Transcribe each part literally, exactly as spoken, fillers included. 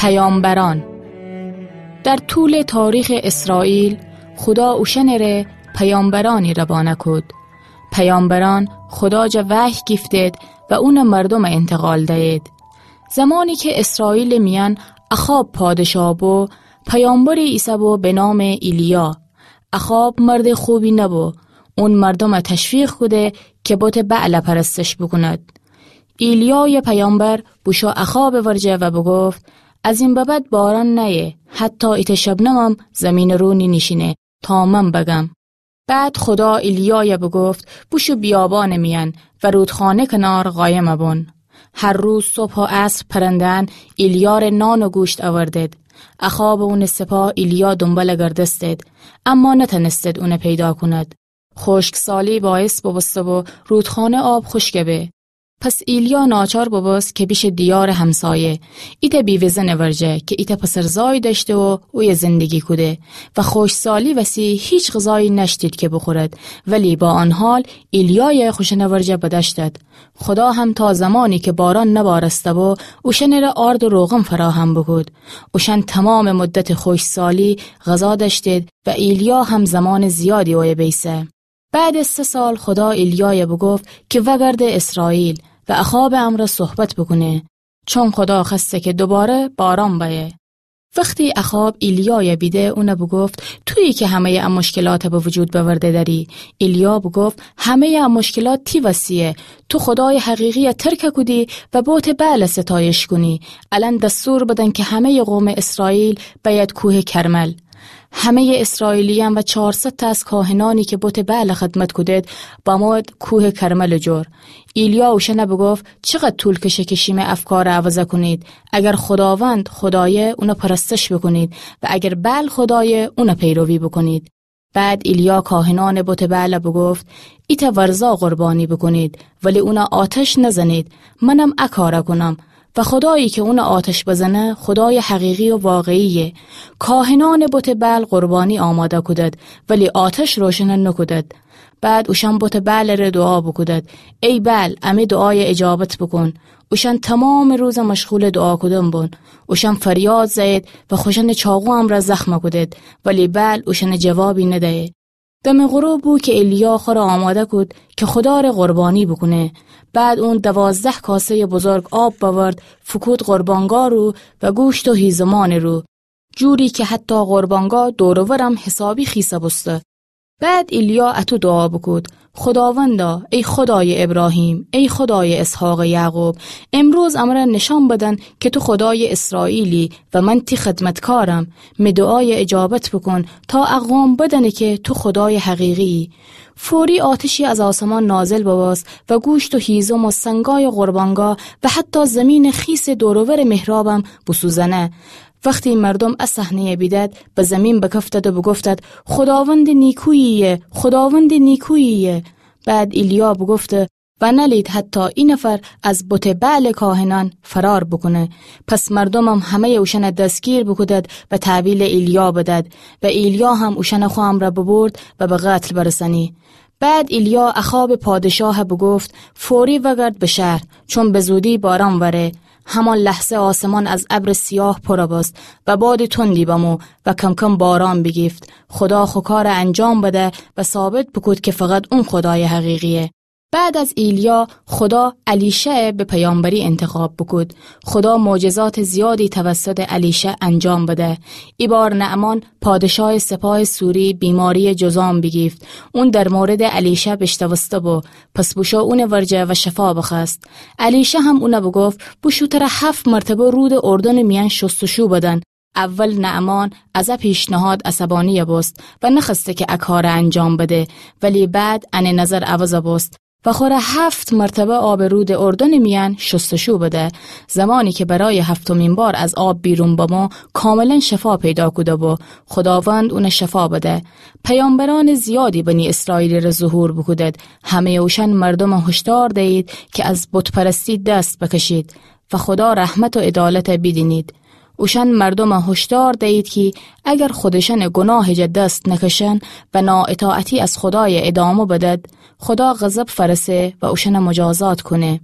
پیامبران. در طول تاریخ اسرائیل، خدا اوشأنٚره پیامبرانی روانه کود. پیامبران خدا جا وحی گیفتید و اونٚ مردومٚ انتقال دیید. زمانی که اسرائیلٚ میأن اخاب پادشاه بو، پیامبری ایسه بو به نامٚ ایلیا. اخاب مردٚ خوبی نبو. اون مردومه تشویق کوده که بتٚ بعل پرستش بوکوند. ایلیایٚ پیامبر بوشو اخابٚ ورجه و بوگفت: از این به بعد باران نیه، حتی ایتأ شبنمم زیمینٚ رو نینیشینه تا من بگم. بعد خدا ایلیای بوگفت: بوشو بیابانٚ میأن و رودخانه کنار قایم بون. هر روز صبح و عصر پرنده‌یأن ایلیاره نان و گوشت اوردید. اخاب و اونٚ سپاه ایلیا دونبال گردستید، اما نتأنستید اونه پیدا کونید. خشکسالی باعث بوبوسته بو رودخانه آب خشک به. پس ایلیا ناچار بوبوست که بیشه دیارٚ همسایه، ایتأ بیوه‌زنٚ ورجه که ایتأ پسرزای دأشته و اویه زندگی کوده و خشکسالی وسی هیچ غذایی نأشتید که بوخورد، ولی با آن حال ایلیای خوشأنٚ ورجه بدأشتد. خدا هم تا زمانی که باران نبارسته بو، اوشأنٚره آرد و روغن فراهم بوکود. اوشأن تومامٚ مدتٚ خشکسالی غذا دأشتید و ایلیا هم زمانٚ زیادی اویه بیسه. بعدٚ سه سال خدا ایلیای بوگفت که وأگرده اسرائیل و اخابٚ امرأ صحبت بوکونه، چون خدا خوأسته که دوباره باران بأیه. وختی اخاب ایلیای بیده، اون بوگفت: تویی که همه‌یٚ ا مشکلات به وجود بأورده دأری. ایلیا بوگفت: همه‌یٚ ا مشکلات تی وسیه. تو خدایٚ حقیقی ترک کودی و بتٚ بعل ستایش کونی. الأن دستور بدن که همه‌یٚ قومٚ اسرائیل بأید کوهٚ کرمل. همه‌یٚ اسرائیلیأن و چارصد تا از کاهنأنی که بتٚ بعل خدمت کودید، بمویید کوهٚ کرملٚ جور. ایلیا اوشأن بوگفت: چقدر طول کشه که شیمه افکار عوض کونید؟ اگر خداوند خدایه، اون پرستش بوکونید، و اگر بعل خدایه، اون پیروی بوکونید. بعد ایلیا کاهنأنٚ بتٚ بعل بوگفت: ایتأ ورزا قربانی بوکونید، ولی اون آتش نزنید. منم ا کار کونم. و خدایی که اون آتش بزنه، خدایٚ حقیقی و واقعیه. کاهنأنٚ بتٚ بعل قربانی آماده کودید، ولی آتش روشن نوکودید. بعد اوشأن بتٚ بعلٚ ره دوعا بوکودید: ای بعل، امه دوعای اجابت بوکون. اوشأن تومامٚ روز مشغولٚ دوعا کودن بون. اوشأن فریاد زأیید و خوشأنٚ چاقو امرأ زخم کودید، ولی بعل اوشأن جوابی ندأیه. دمٚ غروب بو که ایلیا خوره آماده کود که خدا ره قربانی بوکونه. بعد اون دوازده کاسه‌یٚ بزرگ آب بأورد، فوکود قربانگاه رو و گوشت و هیزمانٚ رو، جوری که حتی قربانگاه دور و ورم حسابی خیسه بوسته. بعد ایلیا اطو دوعا بوکود: خداوندا، ای خدایٚ ابراهیم، ای خدایٚ اسحاق و یعقوب، امروز امرأ نشأن بدن که تو خدایٚ اسرائیلی و من تی خدمتکارم. می دوعای اجابت بوکون تا ا قوم بدأنه که تو خدایٚ حقیقی‌یی. فوری آتشی از آسمان نازل ببوست و گوشت و هیزم و سنگای قربانگاه و حتی زیمینٚ خیسٚ دور و ورٚ محرابم بوسوزأنه. وختی مردوم ا صحنه‌یٚ بیدد، به زیمین بکفتد و بوگفتد: خداوندٚ نیکویی‌یه، خداوندٚ نیکویی‌یه. بعد ایلیا بوگفته: و نألید حتی ای نفر از بتٚ بعلٚ کاهنأن فرار بوکونه. پس مردومم همه‌یٚ اوشأن دستگیر بوکودد و تحویلٚ ایلیا بدد. و ایلیا هم اوشأن خو امرأ ببرد و به قتل برسأنی. بعد ایلیا اخابٚ پادشاه بوگفت: فوری وأگرد به شهر، چون به زودی باران وأره. همان لحظه آسمان از ابرٚ سیاه پر بوست و بادٚ تندی بمو و کم‌کم باران بیگیفت. خدا خو کار انجام بده و ثابت بوکود که فقط اون خدایٚ حقیقی‌یه. بعد از ایلیا، خدا الیشع به پیامبری انتخاب بوکود. خدا معجزاتٚ زیادی توسطٚ الیشع انجام بده. ای بار نعمان، پادشاهٚ سپاهٚ سوری، بیماری‌یٚ جذام بیگیفت. اون در موردٚ الیشع بیشنوسته بو، پس بوشو اونٚ ورجه و شفا بخوأست. الیشع هم اون بوگفت: بوشو تر هفت مرتبه رودٚ اردنٚ میأن شستشو بدن. اول نعمان از ا پیشنهاد عصبانی بوست و نخوأسته که ا کار انجام بده، ولی بعد انٚ نظر عوض بوست و خوره هفت مرتبه آبٚ رودٚ اردنٚ میأن شستشو بده. زمانی که برایٚ هفتمین بار از آب بیرون بمو، کاملاً شفا پیدا کوده بو. خداوند اون شفا بده. پیامبرأنٚ زیادی بنی اسرائیلٚ ره ظهور بوکودد. همه‌یٚ اوشأن مردوم هشدار دیید که از بت‌پرستی دست بکشید و خدا رحمت و عدالت بیدینید. اوشأن مردوم هشدار دیید کی اگر خودشأنٚ گناهٚ جا دست نکشن و نااطاعتی از خدای ادامه بدد، خدا غضب فأرسه و اوشأن مجازات کونه.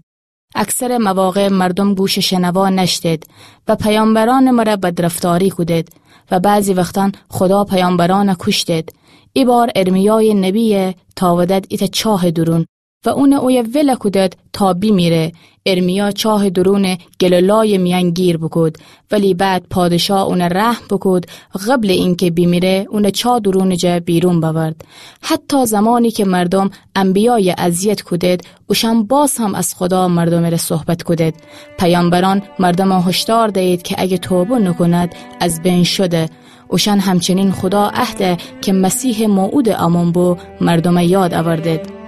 اکثر مواقع مردم گوش شنوا نشتید و پیامبران مره بدرفتاری کودید و بعضی وقتان خدا پیامبران کوشتید. ای بار ارمیای نبی تاودد ایتا چاه درون و اون اویه وله کودد تا بیمیره. ارمیا چاه درون گل و لای میان گیر بوکود، ولی بعد پادشاه اون رحم بوکود، قبل اینکه بیمیره اون چاه درون جا بیرون بورد. حتی زمانی که مردم انبیای اذیت کودد، اوشان باز هم از خدا مردم ره صحبت کودد. پیامبران مردم هشدار دهید که اگه توبه نکوند، از بین شده. اوشان همچنین خدا عهده که مسیح موعود امون بو مردم یاد آوردد.